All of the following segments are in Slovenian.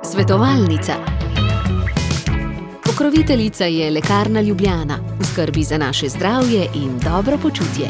Svetovalnica. Pokroviteljica je Lekarna Ljubljana, v skrbi za naše zdravje in dobro počutje.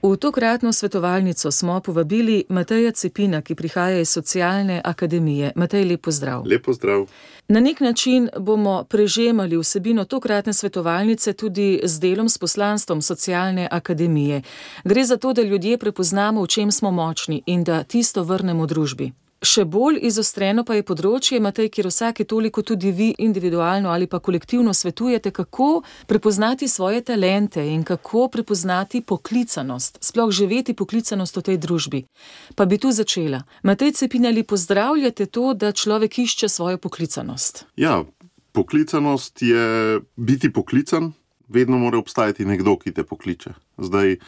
V tokratno svetovalnico smo povabili Mateja Cepina, ki prihaja iz Socialne akademije. Matej, lep pozdrav. Lep pozdrav. Na nek način bomo prežemali vsebino tokratne svetovalnice tudi z delom s poslanstvom Socialne akademije. Gre za to, da ljudje prepoznamo, v čem smo močni in da tisto vrnemo družbi. Še bolj izostreno pa je področje, Matej, kjer vsake toliko tudi vi individualno ali pa kolektivno svetujete, kako prepoznati svoje talente in kako prepoznati poklicanost, sploh živeti poklicanost v tej družbi. Pa bi tu začela. Matej Cepin, ali pozdravljate to, da človek išče svojo poklicanost? Ja, poklicanost je biti poklican, vedno mora obstajati nekdo, ki te pokliče. Zdaj,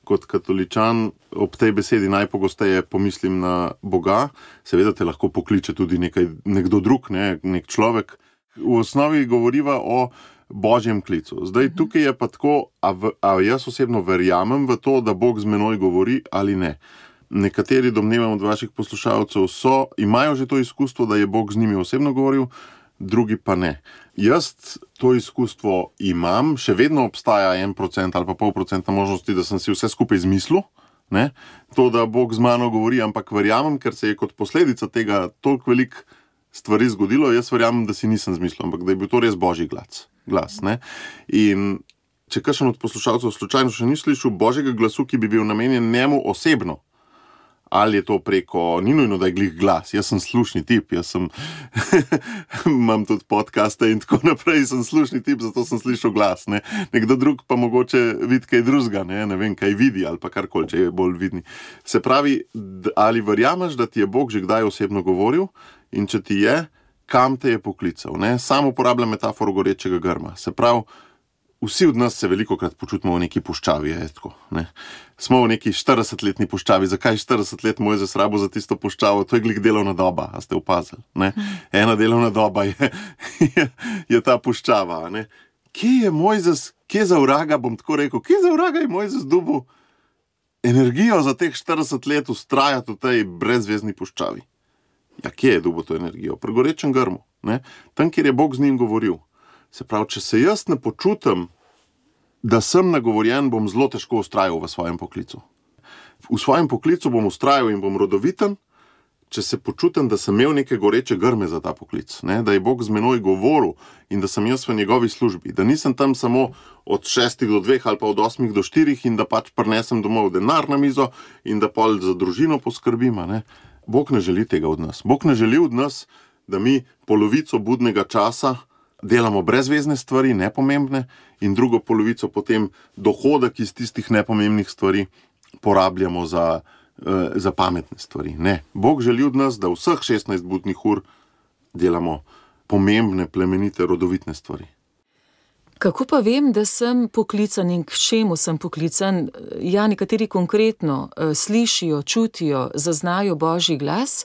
kot katoličan ob tej besedi najpogosteje pomislim na Boga, seveda te lahko pokliče tudi nekdo drug, nek človek. V osnovi govoriva o božjem klicu. Zdaj, tukaj je pa tako, a jaz osebno verjamem v to, da Bog z menoj govori ali ne. Nekateri, domnevam od vaših poslušalcev, imajo že to izkustvo, da je Bog z njimi osebno govoril, drugi pa ne. Jaz to izkustvo imam, še vedno obstaja 1% ali pa 0,5% možnosti, da sem si vse skupaj izmislil, ne? To, da Bog z mano govori, ampak verjamem, ker se je kot posledica tega toliko veliko stvari zgodilo, jaz verjamem, da si nisem izmislil, ampak da je bil to res božji glas, ne? In če kakšen od poslušalcev slučajno še ni slišal božjega glasu, ki bi bil namenjen njemu osebno, ali je to preko, ni nujno, da je glih glas, jaz sem slušni tip, imam tudi podcaste in tako naprej, sem slušni tip, zato sem slišal glas, ne. Nekdo drug pa mogoče vidi kaj drugega, ne vem, kaj vidi ali pa karkoli, če je bolj vidni. Se pravi, ali verjameš, da ti je Bog že kdaj osebno govoril in če ti je, kam te je poklical, ne. Sam uporabljam metaforo gorečega grma, se pravi, vsi od nas se velikokrat počutimo v neki puščavi, je tako, ne. Smo v neki 40-letni puščavi. Zakaj 40 let Mojzes rabil za tisto puščavo? To je glih delovna doba, a ste opazili, ne? Ena delovna doba je ta puščava, ne. Kje je Mojzes, kje za vraga, bom tako rekel, kje za vraga je Mojzes dobil energijo za teh 40 let vztrajati v tej brezvezni puščavi? Ja, kje je dobil to energijo? Pri gorečem grmu, ne? Tam, kjer je Bog z njim govoril. Se pravi, če se jaz ne počutim, da sem nagovorjen, bom zelo težko vztrajal v svojem poklicu. V svojem poklicu bom vztrajal in bom rodoviten, če se počutim, da sem imel neke goreče grme za ta poklic, ne? Da je Bog z menoj govoril in da sem jaz v njegovi službi, da nisem tam samo od 6 do 2 ali pa od 8 do 4 in da pač prinesem domov denar na mizo in da pol za družino poskrbim, ne? Bog ne želi tega od nas. Bog ne želi od nas, da mi polovico budnega časa delamo brezvezne stvari, nepomembne, in drugo polovico potem dohodek iz tistih nepomembnih stvari porabljamo za pametne stvari. Ne. Bog želi od nas, da vseh 16 budnih ur delamo pomembne, plemenite, rodovitne stvari. Kako pa vem, da sem poklican in k čemu sem poklican? Ja, nekateri konkretno slišijo, čutijo, zaznajo božji glas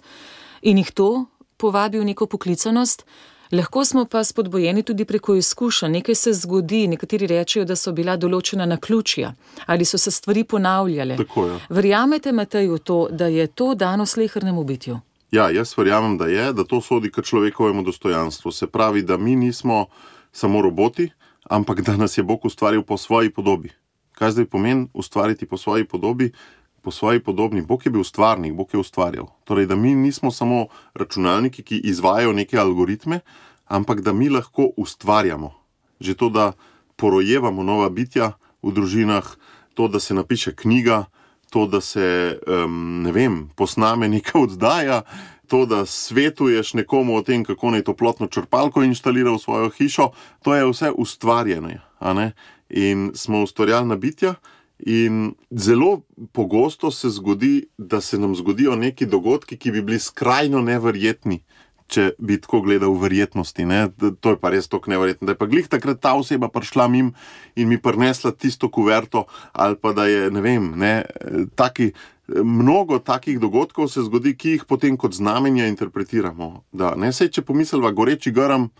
in jih to povabi v neko poklicanost. Lahko smo pa spodbojeni tudi preko izkušenj, nekaj se zgodi, nekateri rečejo, da so bila določena naključja ali so se stvari ponavljale. Tako je. Verjamete, Matej, v to, da je to dano slehernemu bitju? Ja, jaz verjamem, da to sodi k človekovemu dostojanstvu. Se pravi, da mi nismo samo roboti, ampak da nas je Bog ustvaril po svoji podobi. Kaj zdaj pomeni ustvariti po svoji podobi? Po svoji podobni. Bog je bil stvarnik, Bog je ustvarjal. Torej, da mi nismo samo računalniki, ki izvajajo neke algoritme, ampak da mi lahko ustvarjamo. Že to, da porojevamo nova bitja v družinah, to, da se napiše knjiga, to, da se, posname neka oddaja, to, da svetuješ nekomu o tem, kako naj toplotno črpalko inštalira v svojo hišo, to je vse ustvarjeno, a ne? In smo ustvarjalna bitja. In zelo pogosto se zgodi, da se nam zgodijo neki dogodki, ki bi bili skrajno neverjetni, če bi tako gledal v verjetnosti, ne? To je pa res toliko neverjetno, da je pa glih takrat ta oseba prišla mim in mi prinesla tisto kuverto, ali pa da je, mnogo takih dogodkov se zgodi, ki jih potem kot znamenja interpretiramo. Da, ne, sej, če pomisliva goreči grm,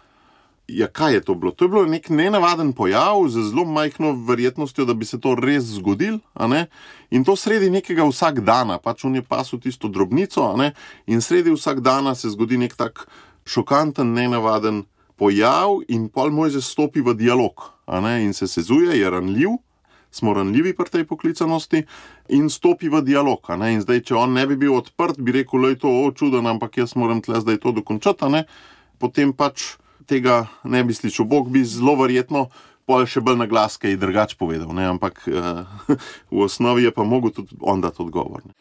Ja, kaj je to bilo? To je bilo nek nenavaden pojav z zelo majhno verjetnostjo, da bi se to res zgodilo, a ne? In to sredi nekega vsakdana, pač on je pasil tisto drobnico, a ne? In sredi vsakdana se zgodi nek tak šokanten, nenavaden pojav in pol Mojzes stopi v dialog, a ne? In se sezuje, je ranljiv, smo ranljivi pri tej poklicanosti in stopi v dialog, a ne? In zdaj, če on ne bi bil odprt, bi rekel, lej to, čuden, ampak jaz moram tle zdaj to dokončati, a ne? Potem pač tega ne bi slišal. Bog bi zelo verjetno pol še bolj na glas kaj drugače povedal, ne? Ampak v osnovi je pa mogel tudi on dati odgovor. Ne?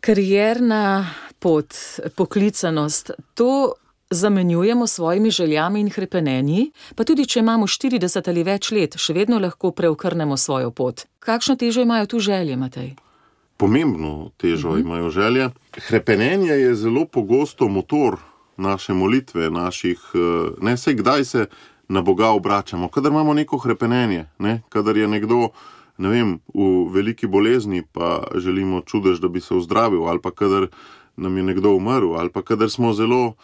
Karierna pot, poklicanost, to zamenjujemo s svojimi željami in hrepenenji, pa tudi če imamo 40 ali več let, še vedno lahko preokrnemo svojo pot. Kakšno težo imajo tu želje, Matej? Pomembno težo imajo želje. Hrepenenje je zelo pogosto motor naše molitve, ne, saj kdaj se na Boga obračamo, kadar imamo neko hrepenenje, ne, kadar je nekdo, ne vem, v veliki bolezni, pa želimo čudež, da bi se ozdravil, ali pa kadar nam je nekdo umrl, ali pa kadar smo zelo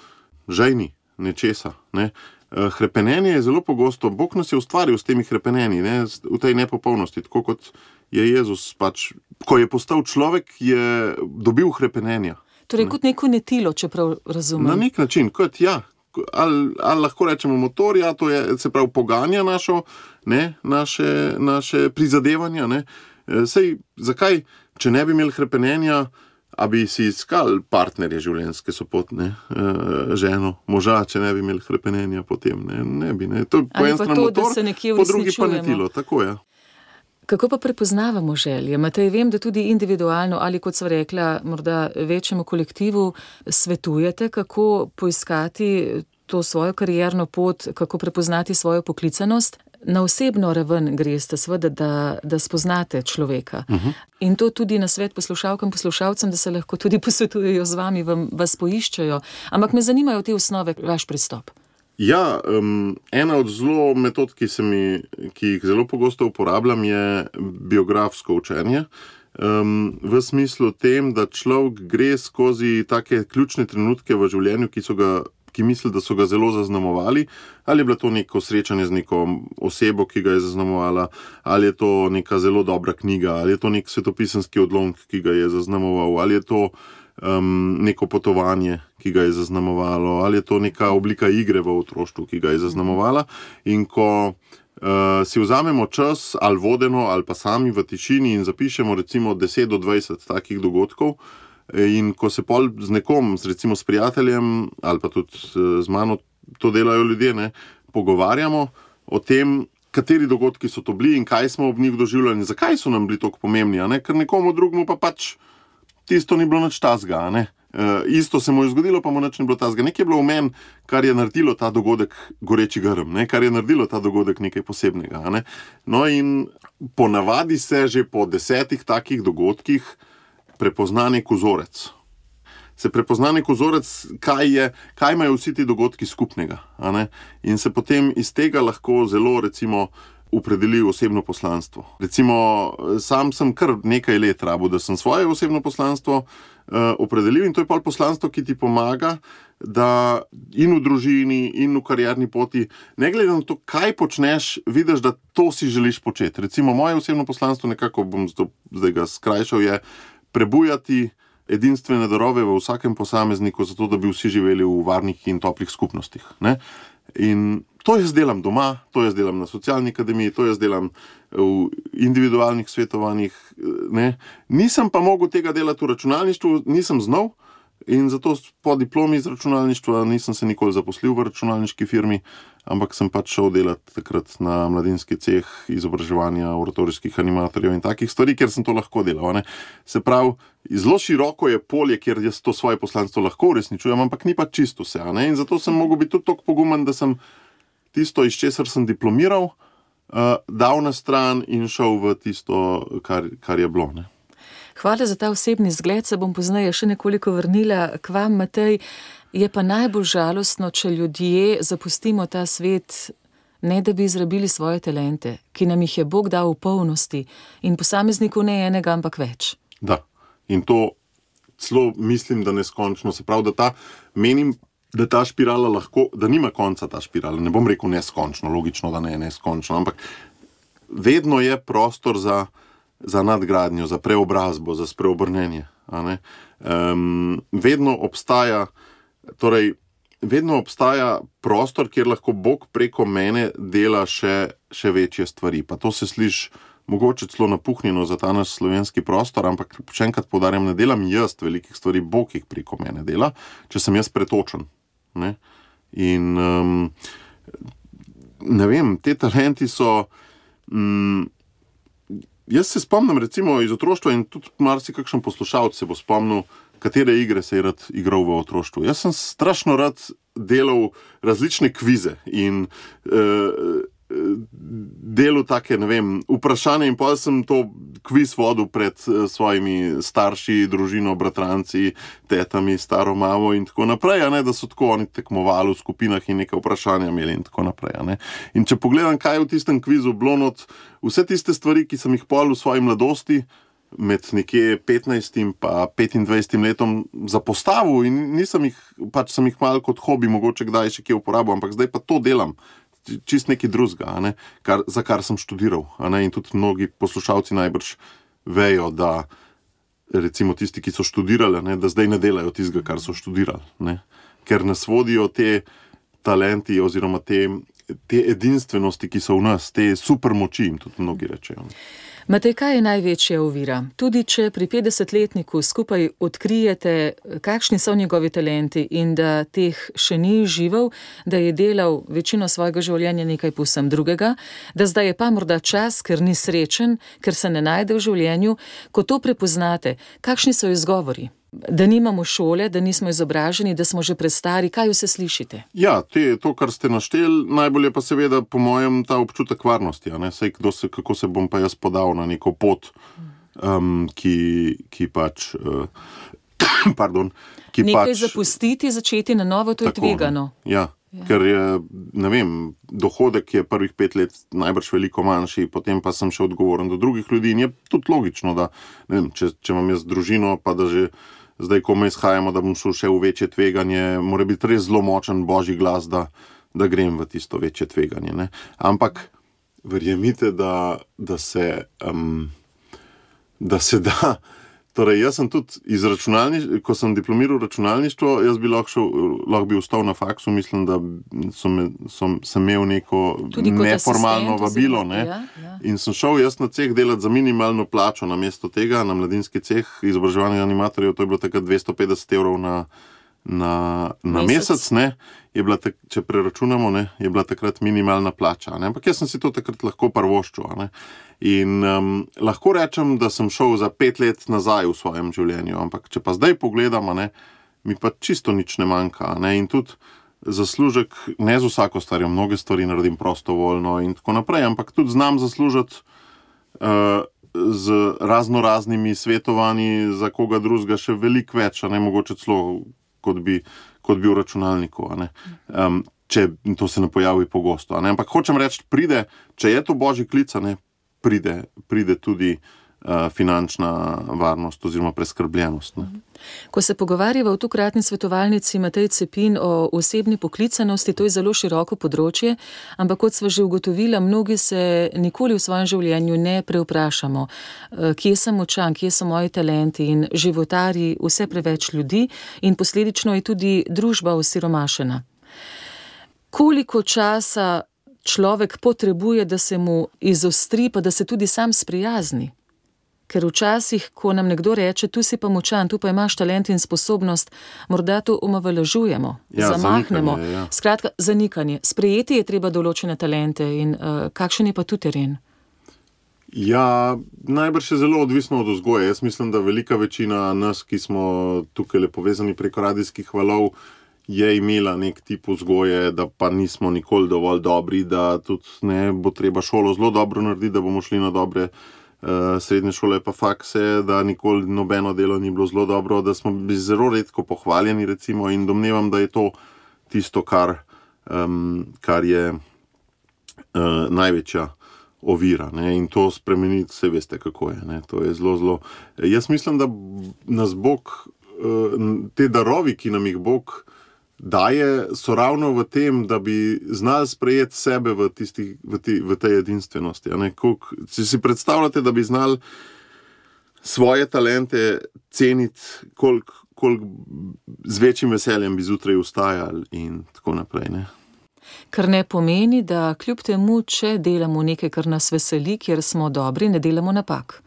žejni nečesa, ne. Hrepenenje je zelo pogosto, Bog nas je ustvaril s temi hrepenenji, ne, v tej nepopolnosti, tako kot je Jezus pač, ko je postal človek, je dobil hrepenenja. Torej, kot neko netilo, čeprav razumem. Na nek način, kot ja, ali lahko rečemo motor, ja, to je, se pravi, poganja naše prizadevanja, ne. Sej, zakaj, če ne bi imeli hrepenenja, a bi si iskali partnerje življenjske sopotne, ženo, moža, če ne bi imeli hrepenenja potem, ne bi, ne. To je po en stran motor, po drugi pa netilo, tako je. Kako pa prepoznavamo želje? Matej, vem, da tudi individualno ali, kot sva rekla, morda večjemu kolektivu svetujete, kako poiskati to svojo karierno pot, kako prepoznati svojo poklicanost. Na osebno raven greste, seveda, da spoznate človeka. In to tudi na svet poslušalkam, poslušalcem, da se lahko tudi posvetujejo z vami, vas poiščejo. Ampak me zanimajo te osnove, vaš pristop. Ja, ena od zelo metod, ki jih zelo pogosto uporabljam, je biografsko učenje. V smislu tem, da človek gre skozi take ključne trenutke v življenju, ki misli, da so ga zelo zaznamovali, ali je bilo to neko srečanje z neko osebo, ki ga je zaznamovala, ali je to neka zelo dobra knjiga, ali je to nek svetopisemski odlomek, ki ga je zaznamoval, ali je to neko potovanje, ki ga je zaznamovalo, ali je to neka oblika igre v otroštvu, ki ga je zaznamovala. In ko si vzamemo čas, ali vodeno, ali pa sami v tišini in zapišemo recimo 10 do 20 takih dogodkov, in ko se pol z nekom, recimo s prijateljem, ali pa tudi z mano, to delajo ljudje, ne, pogovarjamo o tem, kateri dogodki so to bili in kaj smo ob njih doživljali in zakaj so nam bili toliko pomembni, a ne, ker nekomu drugmu pa pač tisto ni bilo nič tazga, ne. Isto se mu je zgodilo, pa mu nič ni bilo tazga. Nekaj je bilo v meni, kar je naredilo ta dogodek goreči grm, ne, kar je naredilo ta dogodek nekaj posebnega, ne. No in ponavadi se že po 10 takih dogodkih prepozna nek vzorec. Se prepozna nek vzorec, kaj imajo vsi ti dogodki skupnega, a ne. In se potem iz tega lahko zelo, recimo, opredeli osebno poslanstvo. Recimo, sam sem kar nekaj let rabil, da sem svoje osebno poslanstvo opredelil in to je pol poslanstvo, ki ti pomaga, da in v družini, in v karierni poti, ne glede na to, kaj počneš, vidiš, da to si želiš početi. Recimo, moje osebno poslanstvo, nekako bom zdaj ga skrajšal, je prebujati edinstvene darove v vsakem posamezniku, zato da bi vsi živeli v varnih in toplih skupnostih, ne. In to jaz delam doma, to jaz delam na socialni akademiji, to jaz delam v individualnih svetovanjih, ne. Nisem pa mogel tega delati v računalništvu, nisem znal in zato po diplomi iz računalništva nisem se nikoli zaposlil v računalniški firmi, ampak sem pač šel delati takrat na mladinski ceh izobraževanja oratorijskih animatorjev in takih stvari, ker sem to lahko delal, ne. Se pravi, zelo široko je polje, kjer jaz to svoje poslanstvo lahko uresničujem, ampak ni pa čisto vse, ne. In zato sem mogel biti tudi toliko pogumen, da sem tisto, iz česar sem diplomiral, dal na stran in šel v tisto, kar je bilo, ne. Hvala za ta osebni zgled, se bom pozneje še nekoliko vrnila k vam, Matej. Je pa najbolj žalostno, če ljudje zapustimo ta svet, ne da bi izrabili svoje talente, ki nam jih je Bog dal v polnosti in posamezniku ne enega, ampak več. Da, in to celo mislim, da neskončno. Se pravi, da menim, da ta špirala lahko, da nima konca ta špirala. Ne bom rekel neskončno, logično, da ne je neskončno, ampak vedno je prostor za nadgradnjo, za preobrazbo, za spreobrnenje. Vedno obstaja prostor, kjer lahko Bog preko mene dela še večje stvari. Pa to se sliši mogoče celo napuhnjeno za ta naš slovenski prostor, ampak še enkrat poudarjam, ne delam jaz velikih stvari, Bog jih preko mene dela, če sem jaz pretočen. Ne? In ne vem, te talenti so... Jaz se spomnim recimo iz otroštva in tudi marsikakšen poslušalec se bo spomnil, katere igre se je rad igral v otroštvu. Jaz sem strašno rad delal različne kvize in delal take, ne vem, vprašanja in potem sem to kviz vodil pred svojimi starši, družino, bratranci, tetami, staro mamo in tako naprej, da so tako oni tekmovali v skupinah in neka vprašanja imeli in tako naprej. In če pogledam, kaj je v tistem kvizu bilo not, vse tiste stvari, ki sem jih pol v svoji mladosti, med nekje 15 in pa 25 letom zapostavil in sem jih malo kot hobi mogoče kdaj še kje uporabil, ampak zdaj pa to delam. Čist nekaj drugega, za kar sem študiral. In tudi mnogi poslušalci najbrž vejo, da recimo tisti, ki so študirali, da zdaj ne delajo tistega, kar so študirali. Ker nas vodijo te talenti oziroma te edinstvenosti, ki so v nas, te supermoči, jim tudi mnogi rečejo. Matej, kaj je največja ovira? Tudi če pri 50-letniku skupaj odkrijete, kakšni so njegovi talenti in da teh še ni živel, da je delal večino svojega življenja nekaj povsem drugega, da zdaj je pa morda čas, ker ni srečen, ker se ne najde v življenju, ko to prepoznate, kakšni so izgovori? Da nimamo šole, da nismo izobraženi, da smo že prestari, kaj vse slišite? Ja, to, kar ste našteli, najbolj je pa seveda po mojem ta občutek varnosti. Sej, kako se bom pa jaz podal na neko pot, ki pač... Nekaj zapustiti, začeti na novo, to je tvegano. Ja. Ker je, ne vem, dohodek je prvih 5 let najbrž veliko manjši, potem pa sem še odgovoren do drugih ljudi in je tudi logično, da ne vem, če imam jaz družino, pa da že zdaj, ko me izhajamo, da bom šel še v večje tveganje, mora biti res zelo močen božji glas, da grem v tisto večje tveganje. Ne? Ampak verjemite, da se da. Torej, jaz sem tudi iz ko sem diplomiral računalništvo, jaz bi lahko bi ostal na faksu, mislim, da sem imel neko neformalno vabilo. Ne? Ja. In sem šel jaz na ceh delati za minimalno plačo, namesto tega na mladinski ceh izobraževanja animatorjev, to je bilo takrat 250 evrov na mesec, ne? Je bila če preračunamo, ne? Je bila takrat minimalna plača. Ne? Ampak jaz sem si to takrat lahko prvoščil. Ne? In lahko rečem, da sem šel za 5 let nazaj v svojem življenju, ampak če pa zdaj pogledam, mi pa čisto nič ne manjka. In tudi zaslužek, ne z vsako stvarjo, mnoge stvari naredim prostovoljno in tako naprej, ampak tudi znam zaslužiti z raznoraznimi svetovanji za koga drugega še veliko več, mogoče celo kot bi v računalniku. Če to se ne pojavi pogosto. Ampak hočem reči, če je to božji klic, pride tudi finančna varnost oziroma preskrbljenost. Ne? Ko se pogovarjava v tokratni svetovalnici Matej Cepin o osebni poklicanosti, to je zelo široko področje, ampak kot sva že ugotovila, mnogi se nikoli v svojem življenju ne prevprašamo, kje sem močan, kje so moji talenti in životari vse preveč ljudi in posledično je tudi družba osiromašena. Koliko časa človek potrebuje, da se mu izostri, pa da se tudi sam sprijazni? Ker včasih, ko nam nekdo reče, tu si pa močan, tu pa imaš talent in sposobnost, morda to omalovažujemo, zamahnemo. Zanikanje, ja. Skratka, zanikanje. Sprejeti je treba določene talente in kakšen je pa tu teren? Ja, najbrž je zelo odvisno od vzgoje. Jaz mislim, da velika večina nas, ki smo tukaj povezani preko radijskih valov, je imela nek tip vzgoje, da pa nismo nikoli dovolj dobri, da tudi ne bo treba šolo zelo dobro narediti, da bomo šli na dobre srednje šole pa fakse, da nikoli nobeno delo ni bilo zelo dobro, da smo bili zelo redko pohvaljeni recimo in domnevam, da je to tisto, kar je največja ovira. Ne? In to spremeniti, se veste, kako je. Ne? To je zelo. Jaz mislim, da nas Bog, te darovi, ki nam jih Bog so ravno v tem, da bi znali sprejeti sebe v tej edinstvenosti. Če si predstavljate, da bi znali svoje talente ceniti, koliko z večjim veseljem bi zjutraj vstajali in tako naprej. Ne? Kar ne pomeni, da kljub temu, če delamo nekaj, kar nas veseli, kjer smo dobri, ne delamo napak.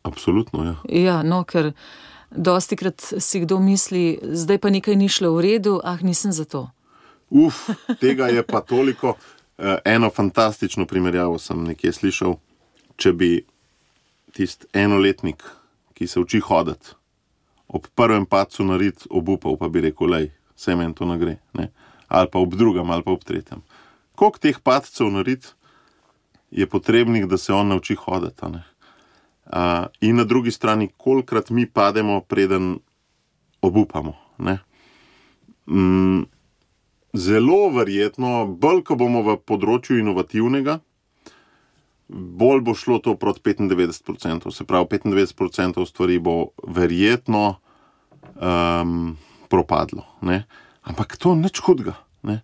Absolutno, ja. Ja, ker dostikrat si kdo misli, zdaj pa nekaj ni šlo v redu, nisem za to. Tega je pa toliko. Eno fantastično primerjavo sem nekje slišal, če bi tisti enoletnik, ki se uči hoditi, ob prvem padcu narit obupal, pa bi rekel, saj meni to ne gre, ne? Ali pa ob drugem, ali pa ob tretjem. Koliko teh padcev narit je potrebnih, da se on nauči hoditi, ne? In na drugi strani, kolikrat mi pademo, preden obupamo, ne? Zelo verjetno, bolj ko bomo v področju inovativnega, bolj bo šlo to proti 95%. Se pravi, 95% stvari bo verjetno propadlo, ne? Ampak to nič hudega, ne?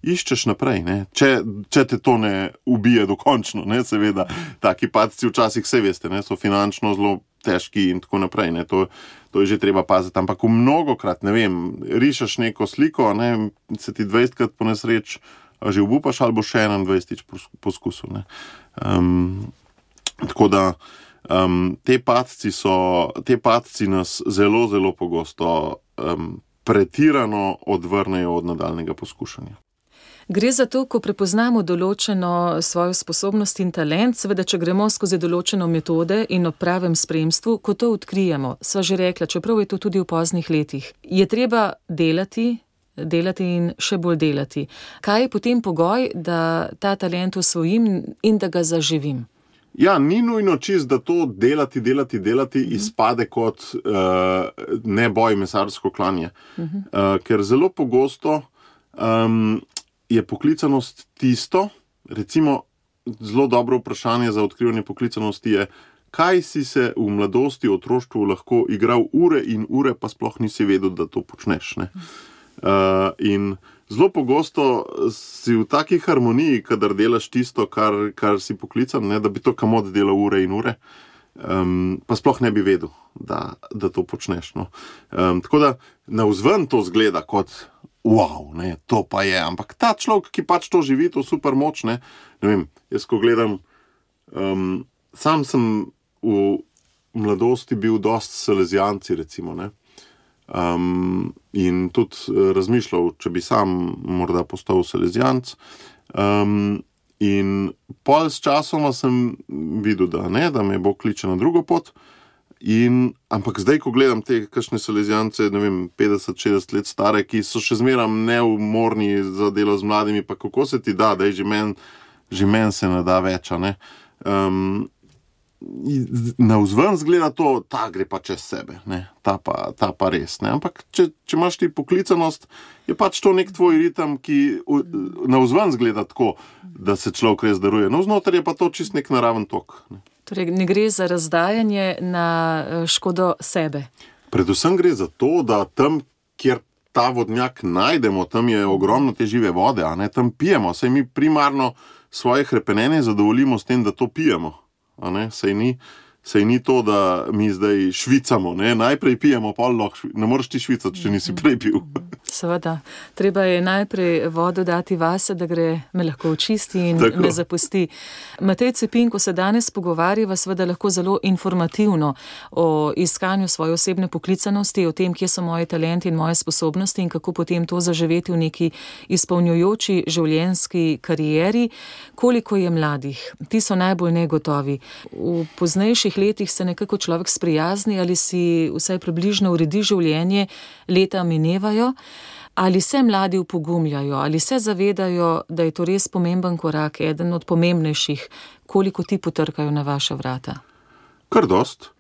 Iščeš naprej, ne? Če te to ne ubije dokončno, ne? Seveda, taki padci včasih, vse veste, ne? So finančno zelo težki in tako naprej, ne? To je že treba paziti, ampak mnogokrat, ne vem, rišeš neko sliko, ne? Se ti 20krat po nesreč že obupaš, ali bo še 21 poskusil, ne? Tako da te padci nas zelo, zelo pogosto pretirano odvrnejo od nadaljnega poskušanja. Gre za to, ko prepoznamo določeno svojo sposobnost in talent, seveda, če gremo skozi določeno metode in ob pravem spremstvu, ko to odkrijemo, sva že rekla, čeprav je to tudi v poznih letih, je treba delati in še bolj delati. Kaj je potem pogoj, da ta talent osvojim in da ga zaživim? Ja, ni nujno čist, da to delati izpade kot neboj mesarsko klanje. Ker zelo pogosto je poklicanost tisto, recimo zelo dobro vprašanje za odkrivanje poklicanosti je, kaj si se v mladosti, otroštvu lahko igral ure in ure, pa sploh nisi vedel, da to počneš, ne? In zelo pogosto si v taki harmoniji, kadar delaš tisto, kar si poklican, ne, da bi to kamot delal ure in ure, pa sploh ne bi vedel, da to počneš, no. Tako da navzven to zgleda kot wow, ne, to pa je, ampak ta človek, ki pač to živi, to super moč, ne vem, jaz ko gledam, sam sem v mladosti bil dosti salezijanci, recimo, ne. In tudi razmišljal, če bi sam morda postal salezijanc. In pol s časoma sem videl, da me Bog kliče na drugo pot. Ampak zdaj, ko gledam te kakšne salezijance, ne vem, 50-60 let stare, ki so še zmeraj neumorni za delo z mladimi, pa kako se ti da, že men se ne da več, ne. Navzven zgleda to, ta gre pa čez sebe, ne? Ta pa res, ne? Ampak če imaš ti poklicanost, je pač to nek tvoj ritem, ki navzven zgleda tako, da se človek res daruje. Navznoter je pa to čist nek naraven tok, ne? Torej, ne gre za razdajanje na škodo sebe. Predvsem gre za to, da tam, kjer ta vodnjak najdemo, tam je ogromno te žive vode, a ne? Tam pijemo, saj mi primarno svoje hrepenenje zadovoljimo s tem, da to pijemo. Saj ni to, da mi zdaj švicamo, ne? Najprej pijemo, pol lahko ne moreš ti švicati, če nisi prej pil. Seveda, treba je najprej vodo dati vase, da me lahko očisti in tako me zapusti. Matej Cepin, ko se danes pogovarjava, seveda lahko zelo informativno o iskanju svoje osebne poklicanosti, o tem, kje so moji talenti in moje sposobnosti in kako potem to zaživeti v neki izpolnjujoči življenjski karieri. Koliko je mladih? Ti so najbolj negotovi. V poznejših letih se nekako človek sprijazni ali si vsaj približno uredi življenje, leta minevajo. Ali se mladi upogumljajo, ali se zavedajo, da je to res pomemben korak, eden od pomembnejših, koliko ti potrkajo na vaša vrata? Kar dost.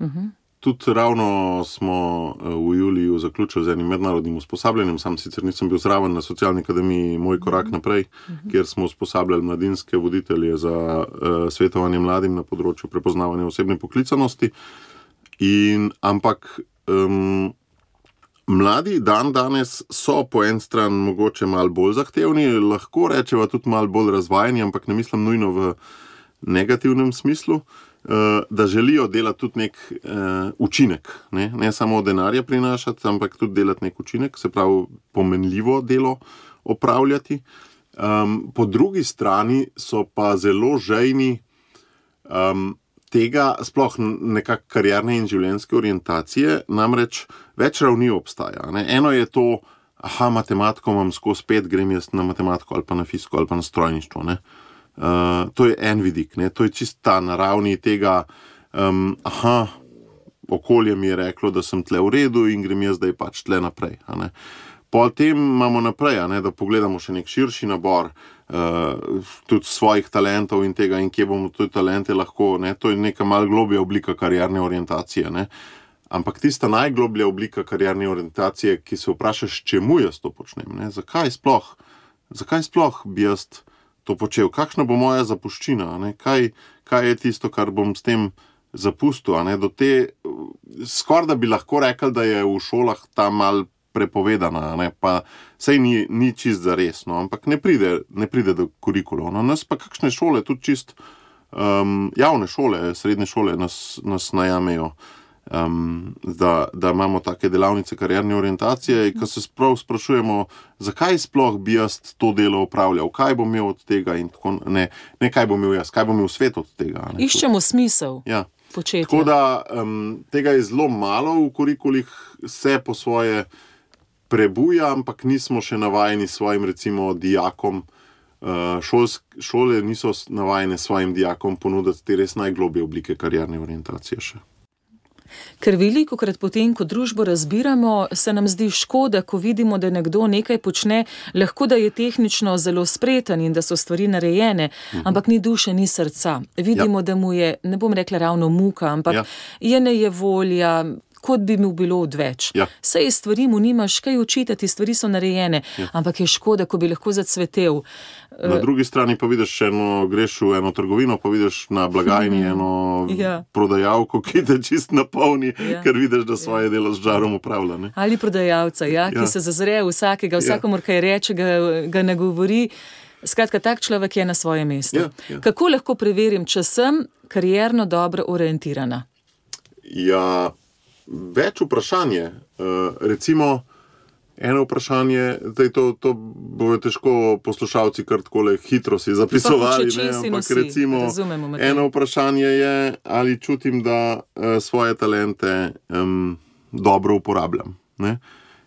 Tudi ravno smo v juliju zaključili z enim mednarodnim usposabljanjem, sam sicer nisem bil zraven na Socialni akademiji Moj korak naprej, kjer smo usposabljali mladinske voditelje za svetovanje mladim na področju prepoznavanja osebne poklicanosti. Ampak Mladi danes so po en stran mogoče malo bolj zahtevni, lahko rečeva tudi malo bolj razvajeni, ampak ne mislim nujno v negativnem smislu, da želijo delati tudi nek učinek. Ne samo denarja prinašati, ampak tudi delati nek učinek, se pravi pomenljivo delo opravljati. Po drugi strani so pa zelo žejni tega, sploh nekak karierne in življenjske orientacije, namreč več ravni obstaja. Ne? Eno je to, matematiko imam skozi 5, grem jaz na matematiko ali pa na fiziko ali pa na strojništvo. Ne? To je en vidik, ne? To je čista na ravni tega, okolje mi je reklo, da sem tle v redu in grem jaz zdaj pač tle naprej. Potem imamo naprej, da pogledamo še nek širši nabor tudi svojih talentov in tega, in kje bomo tudi talente lahko, ne? To je neka malo globlja oblika karierne orientacije. Ne? Ampak tista najgloblja oblika karierne orientacije, ki se vprašaš, čemu jaz to počnem, ne? Zakaj sploh bi jaz to počel, kakšna bo moja zapuščina, ne? Kaj je tisto, kar bom s tem zapustil, ne? Do te, skoraj da bi lahko rekel, da je v šolah ta mal prepovedana, ne? Pa sej ni čist zares, no? Ampak ne pride do kurikulov. No? Nas pa kakšne šole, tudi čist javne šole, srednje šole nas najamejo, da imamo take delavnice karierne orientacije, ko se sprašujemo, zakaj sploh bi jaz to delo opravljal, kaj bom imel od tega in tako, ne kaj bom imel jaz, kaj bom imel svet od tega. Ne? Iščemo smisel. Ja. Početja. Tako da tega je zelo malo v kurikulih, se po svoje prebuja, ampak nismo še navajeni svojim, recimo, dijakom. Šole niso navajene svojim dijakom ponuditi te res najglobje oblike karierne orientacije še. Ker velikokrat potem, ko družbo razbiramo, se nam zdi škoda, ko vidimo, da nekdo nekaj počne, lahko da je tehnično zelo spreten in da so stvari narejene, ampak ni duše, ni srca. Vidimo, da mu je, ne bom rekla ravno muka, ampak je nejevolja, kot bi mu bilo odveč. Sej stvari mu nimaš kaj očitati, stvari so narejene, ampak je škoda, ko bi lahko zacvetel. Na drugi strani pa vidiš greš v eno trgovino, pa vidiš na blagajni eno prodajalko, ki te čist napolni, ker vidiš, da svoje delo z žarom upravlja. Ne? Ali prodajalca, ki se zazre vsakega, vsakomur kaj reče, ga ne govori. Skratka, tak človek je na svojem mestu. Kako lahko preverim, če sem karierno dobro orientirana? Ja, več vprašanje. Recimo, eno vprašanje, to bojo težko poslušalci kar takole hitro si zapisovali, ampak recimo, eno vprašanje je, ali čutim, da svoje talente dobro uporabljam. Ne?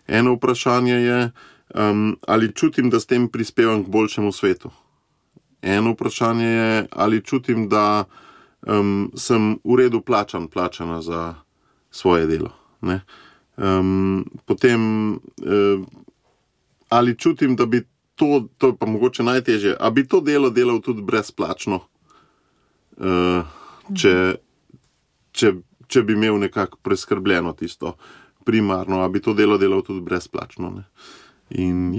Eno vprašanje je, ali čutim, da s tem prispevam k boljšemu svetu. Eno vprašanje je, ali čutim, da sem v redu plačana za svoje delo. Ne? Potem, ali čutim, da bi to je pa mogoče najtežje, a bi to delo delal tudi brezplačno, če bi imel nekako preskrbljeno tisto primarno, a bi to delo delal tudi brezplačno. Ne? In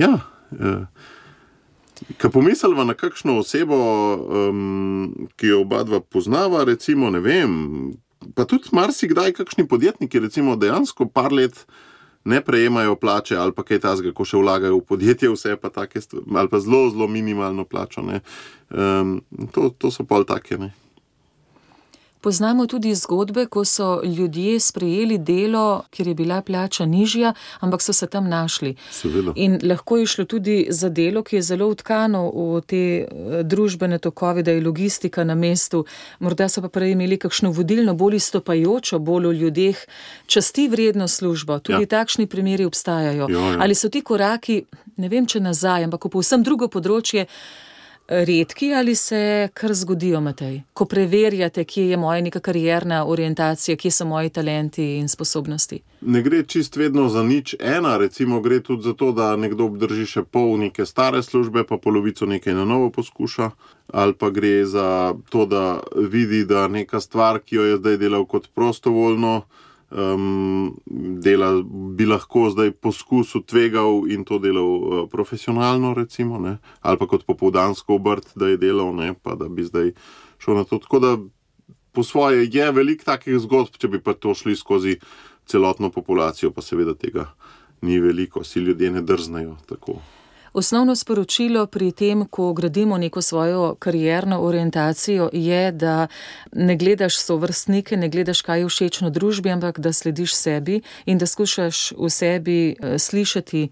ko pomisliva na kakšno osebo, ki jo oba dva poznava, recimo, ne vem, pa tudi marsikdaj kakšni podjetniki, recimo, dejansko par let ne prejemajo plače ali pa kaj tazga, ko še vlagajo v podjetje, vse pa take stvari, ali pa zelo, zelo minimalno plačo. Ne. To so pol take, ne. Poznamo tudi zgodbe, ko so ljudje sprejeli delo, kjer je bila plača nižja, ampak so se tam našli. Seveda. In lahko je šlo tudi za delo, ki je zelo vtkano v te družbene tokove, da je logistika na mestu. Morda so pa prej imeli kakšno vodilno, bolj izstopajočo, bolj v ljudeh časti vredno službo. Tudi takšni primeri obstajajo. Ali so ti koraki, ne vem, če nazaj, ampak v povsem drugo področje, redki ali se kar zgodijo, Matej? Ko preverjate, kje je moja neka karierna orientacija, kje so moji talenti in sposobnosti? Ne gre čist vedno za nič ena, recimo gre tudi za to, da nekdo obdrži še pol neke stare službe, pa polovico nekaj na novo poskuša, ali pa gre za to, da vidi, da neka stvar, ki jo je zdaj delal kot prostovoljno, dela bi lahko zdaj poskusil, tvegal in to delal profesionalno, recimo, ne? Ali pa kot popoldansko obrt, da je delal, ne? Pa da bi zdaj šel na to. Tako da po svoje je veliko takih zgodb, če bi pa to šli skozi celotno populacijo, pa seveda tega ni veliko, si ljudje ne drznejo tako. Osnovno sporočilo pri tem, ko gradimo neko svojo karierno orientacijo, je, da ne gledaš sovrstnike, ne gledaš, kaj je všečno družbi, ampak da slediš sebi in da skušaš v sebi slišati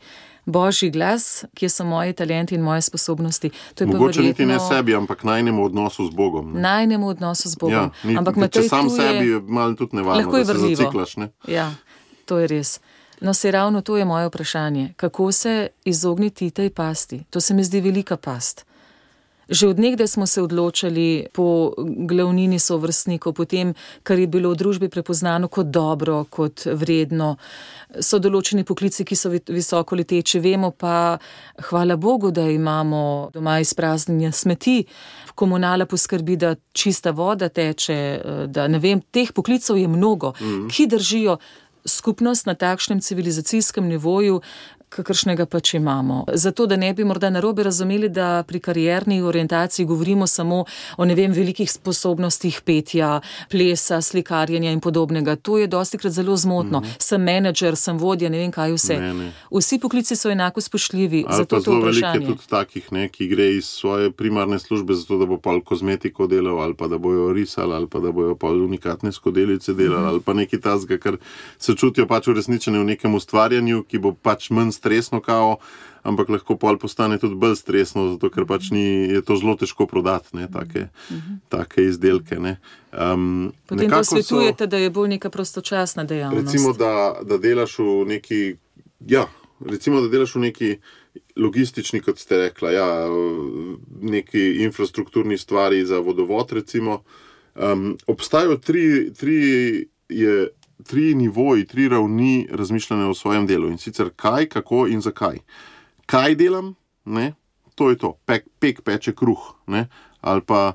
Božji glas, kje so moji talenti in moje sposobnosti. To je mogoče niti ne sebi, ampak najnemu odnosu z Bogom. Ne? Najnemu odnosu z Bogom. Ja, ampak če sam sebi je malo tudi nevarno, da se zaciklaš. Ne? Ja, to je res. No, se ravno to je moje vprašanje. Kako se izogniti tej pasti? To se mi zdi velika past. Že od nekdaj smo se odločali po glavnini sovrstnikov, po tem, kar je bilo v družbi prepoznano kot dobro, kot vredno. So določeni poklici, ki so visoko leteči. Vemo pa, hvala Bogu, da imamo doma izpraznjenje smeti. Komunala poskrbi, da čista voda teče, da ne vem, teh poklicov je mnogo, ki držijo skupnost na takšnem civilizacijskem nivoju, kakršnega pač imamo. Zato, da ne bi morda narobe razumeli, da pri karierni orientaciji govorimo samo o, ne vem, velikih sposobnostih petja, plesa, slikarjenja in podobnega. To je dostikrat zelo zmotno. Sem menedžer, sem vodja, ne vem kaj vse. Ne. Vsi poklici so enako spoštljivi. Ali zato pa zelo veliko je vprašanje. tudi takih, ne, ki gre iz svoje primarne službe zato, da bo pol kozmetiko delal, ali pa da bojo risali, ali pa da bojo pol unikatne skodelice delali, ali pa nekaj tazga, ker se čutijo pač uresničene v nekem ustvarjanju, ki bo pač manj stresno kao, ampak lahko pol postane tudi bolj stresno, zato ker pač je to zelo težko prodati, ne, take izdelke. Ne. Potem to svetujete, da je bolj neka prostočasna dejavnost. Recimo, da delaš v neki, recimo, da delaš v neki logistični, kot ste rekla, neki infrastrukturni stvari za vodovod, recimo. Obstajajo tri nivoji, tri ravni razmišljanja o svojem delu, in sicer kaj, kako in zakaj. Kaj delam, ne? To je to, pek peče kruh, ne? Ali pa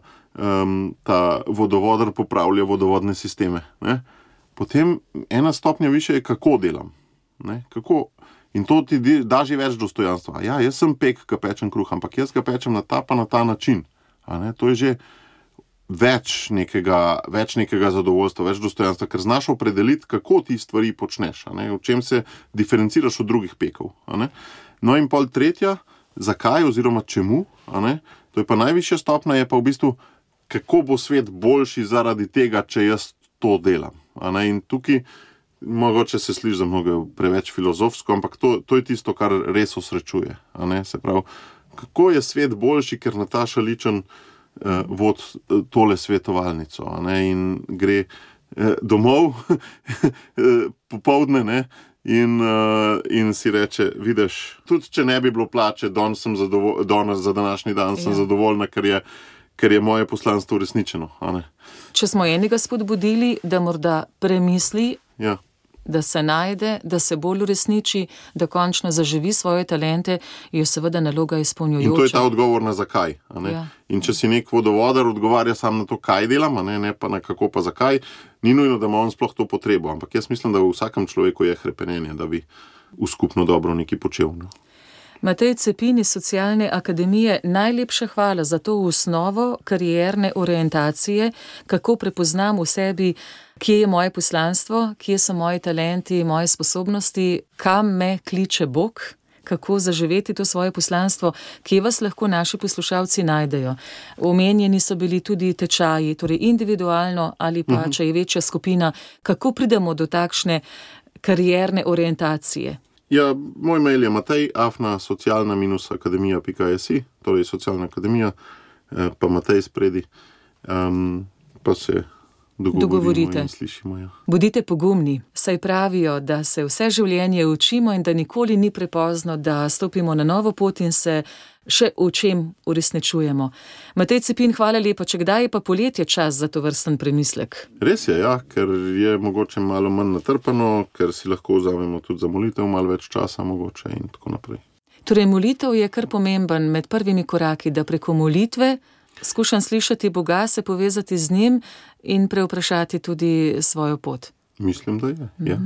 ta vodovodar popravlja vodovodne sisteme. Ne? Potem ena stopnja više je, kako delam. Ne? Kako? In to ti da že več dostojanstva. Ja, jaz sem pek, ki pečem kruh, ampak jaz ga pečem na ta način. A ne? To je že več nekega zadovoljstva, več dostojanstva, ker znaš opredeliti, kako ti stvari počneš, v čem se diferenciraš od drugih pekov. No in pol tretja, zakaj oziroma čemu, to je pa najvišja stopnja, je pa v bistvu, kako bo svet boljši zaradi tega, če jaz to delam. In tukaj, mogoče se sliši za mnogo preveč filozofsko, ampak to je tisto, kar res osrečuje. Se pravi, kako je svet boljši, ker Nataša Ličen vod tole svetovalnico, in gre domov popoldne, in si reče, vidiš, tudi če ne bi bilo plače, danes za današnji dan sem zadovoljna, ker je moje poslanstvo uresničeno. Če smo enega spodbudili, da morda premisli, da se najde, da se bolj uresniči, da končno zaživi svoje talente, je seveda naloga izpolnjujoča. In to je ta odgovor na zakaj. In če si nek vodovodar odgovarja sam na to, kaj delam, ne pa na kako pa zakaj, ni nujno, da ima on sploh to potrebo. Ampak jaz mislim, da v vsakem človeku je hrepenenje, da bi v skupno dobro nekaj počel. Matej Cepin iz Socialne akademije, najlepša hvala za to osnovo karierne orientacije, kako prepoznam v sebi, kje je moje poslanstvo, kje so moji talenti, moje sposobnosti, kam me kliče Bog, kako zaživeti to svoje poslanstvo, kje vas lahko naši poslušalci najdejo. Omenjeni so bili tudi tečaji, torej individualno ali pa, če je večja skupina, kako pridemo do takšne karierne orientacije. Ja, moj mail je matej@socialna-akademija.si, torej Socialna akademija, pa Matej spredi, pa se dogovorite in slišimo. Bodite pogumni, saj pravijo, da se vse življenje učimo in da nikoli ni prepozno, da stopimo na novo pot in se še v čem uresničujemo. Matej Cepin, hvala lepa. Če kdaj je pa poletje čas za to vrsten premislek? Res je, ker je mogoče malo manj natrpano, ker si lahko vzamemo tudi za molitev malo več časa mogoče in tako naprej. Torej, molitev je kar pomemben med prvimi koraki, da preko molitve skušam slišati Boga, se povezati z njim in prevprašati tudi svojo pot. Mislim, da je, ja.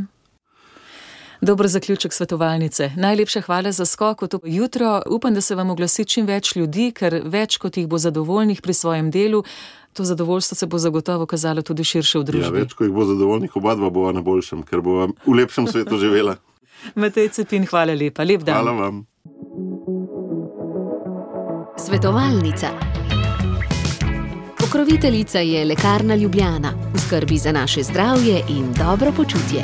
Dober zaključek svetovalnice. Najlepša hvala za skok v to jutro. Upam, da se vam oglasi čim več ljudi, ker več kot jih bo zadovoljnih pri svojem delu, to zadovoljstvo se bo zagotovo kazalo tudi širše v družbi. Ja, več kot jih bo zadovoljnih, oba dva bova na boljšem, ker bova v lepšem svetu živela. Matej Cepin, hvala lepa. Lep dan. Hvala vam. Svetovalnica. Pokroviteljica je Lekarna Ljubljana, v skrbi za naše zdravje in dobro počutje.